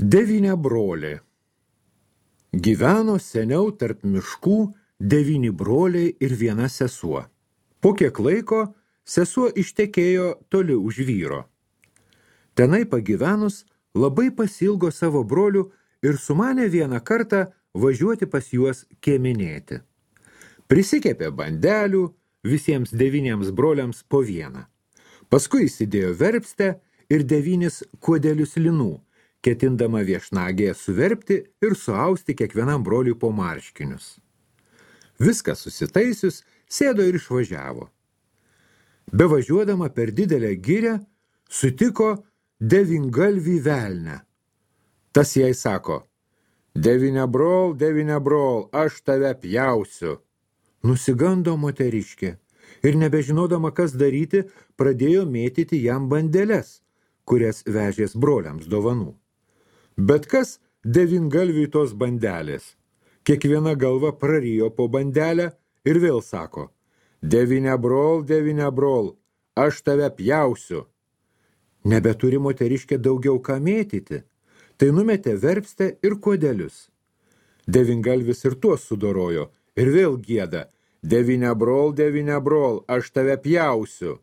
Devyniabrolė. Gyveno seniau tarp miškų 9 broliai ir 1 sesuo. Po kiek laiko sesuo ištekėjo toli už vyro. Tenai pagyvenus labai pasilgo savo brolių ir sumanė vieną kartą važiuoti pas juos kieminėti. Prisikepė bandelių, visiems 9 broliams po 1. Paskui įsidėjo verpstę ir 9 kuodelius linų, ketindama viešnagėje suverpti ir suausti kiekvienam broliui po marškinius. Viską susitaisius, sėdo ir išvažiavo. Bevažiuodama per didelę girią, sutiko 9galvį velnę. Tas jai sako: Devyniabrol, aš tave pjausiu. Nusigando moteriškė ir nebežinodama, kas daryti, pradėjo mėtyti jam bandeles, kurias vežės broliams dovanų. Bet kas 9galviui tos bandelės? Kiekviena galva prarijo po bandelę ir vėl sako: Devyniabrol, aš tave pjausiu. Nebeturi moteriškė daugiau ką mėtyti, tai numetė verpstę ir kuodelius. 9galvis ir tuos sudorojo ir vėl gieda: Devyniabrol, aš tave pjausiu.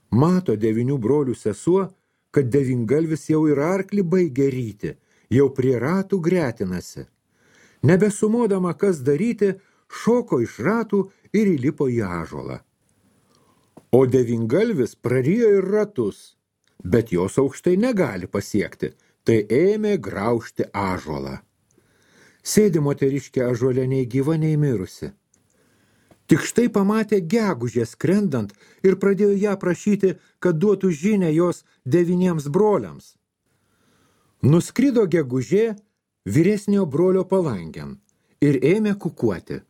Mato 9 brolių sesuo, kad 9galvis jau ir arklį baigė ryti, jau prie ratų gretinasi. Nebesumodama, kas daryti, šoko iš ratų ir įlipo į ąžuolą. O 9galvis prarijo ir ratus, bet jos aukštai negali pasiekti, tai ėmė graužti ąžuolą. Sėdi moteriškė ąžuole nei gyva, nei mirusi. Tik štai pamatė gegužę skrendant ir pradėjo ją prašyti, kad duotų žinią jos 9 broliams. Nuskrido gegužė vyresnio brolio palangėn ir ėmė kukuoti.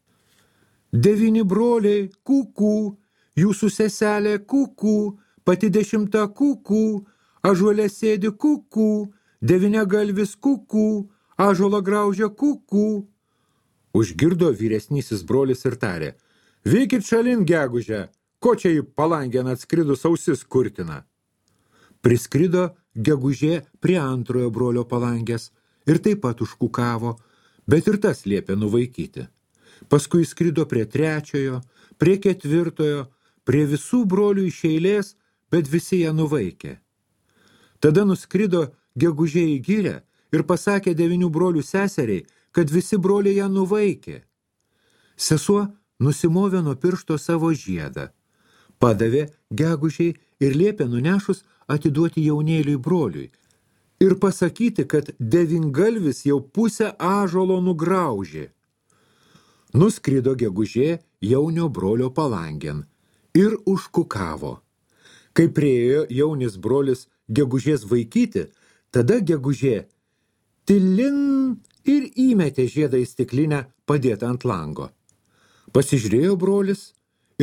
9 broliai, kukų, jūsų seselė kukų, pati 10 kukų, ąžuole sėdi kukų, 9galvis kukų, ąžuolą graužia kukų. Užgirdo vyresnysis brolis ir tarė: Vykit šalin, gegužę, ko čia į palangėn atskridus ausis kurtina? Priskrido gegužė prie antrojo brolio palangės ir taip pat užkukavo, bet ir tas liepė nuvaikyti. Paskui skrido prie 3, prie 4, prie visų brolių iš eilės, bet visi ją nuvaikė. Tada nuskrido gegužė į girią ir pasakė 9 brolių seseriai, kad visi broliai ją nuvaikė. Sesuo nusimovė nuo piršto savo žiedą, padavė gegužiai ir liepė nunešus atiduoti jaunėliui broliui ir pasakyti, kad 9galvis jau pusę ąžuolo nugraužė. Nuskrido gegužė jaunio brolio palangėn ir užkukavo. Kai priėjo jaunis brolis gegužės vaikyti, tada gegužė tilin ir įmetė žiedą į stiklinę padėtą ant lango. Pasižiūrėjo brolis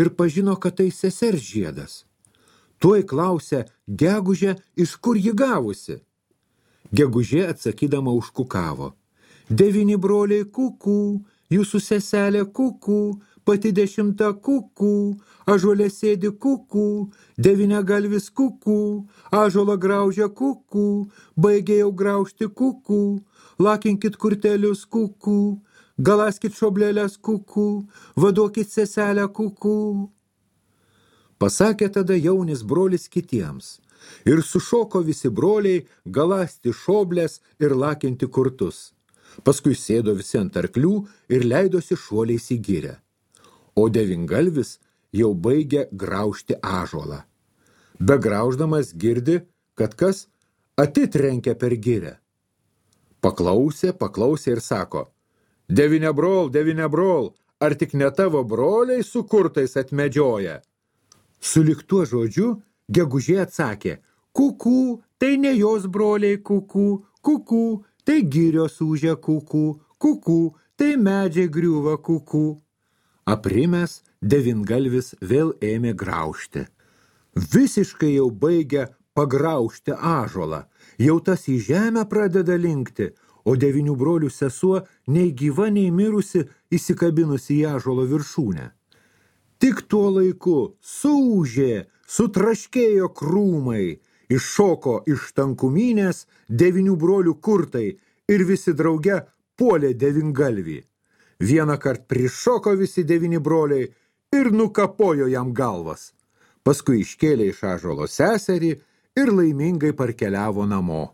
ir pažino, kad tai sesers žiedas. Tuoj klausė gegužę, iš kur ji gavusi. Gegužė atsakydama užkukavo: 9 broliai kukų, jūsų seselė kukų, pati 10 kukų, ąžuole sėdi kukų, 9galvis kukų, ąžuolą graužia kukų, baigė jau graužti kukų, lakinkit kurtelius kukų, galaskit šoblelės kukų, vaduokit seselę kukų. Pasakė tada jaunis brolis kitiems ir sušoko visi broliai galasti šoblės ir lakinti kurtus. Paskui sėdo visi ant arklių ir leidosi šuoliais į girią. O 9galvis jau baigė graužti ąžuolą. Begrauždamas girdi, kad kas atitrenkia per girią. Paklausė ir sako: Devyniabrol, ar tik ne tavo broliai su kurtais atmedžioja? Sulig tuo žodžiu gegužė atsakė: Kukų, tai ne jos broliai kukų, tai girios ūžia kukų, tai medžiai griūva kukų. Aprimęs 9galvis vėl ėmė graužti. Visiškai jau baigė pagraužti ąžuolą, jau tas į žemę pradeda linkti, o 9 brolių sesuo nei gyva, nei mirusi įsikabinusi į ąžuolo viršūnę. Tik tuo laiku suūžė, sutraškėjo krūmai iššoko iš tankumynės 9 brolių kurtai ir visi drauge puolė devyngalvį. Vieną kart prišoko visi 9 broliai ir nukapojo jam galvas. Paskui iškėlė iš ąžuolo seserį ir laimingai parkeliavo namo.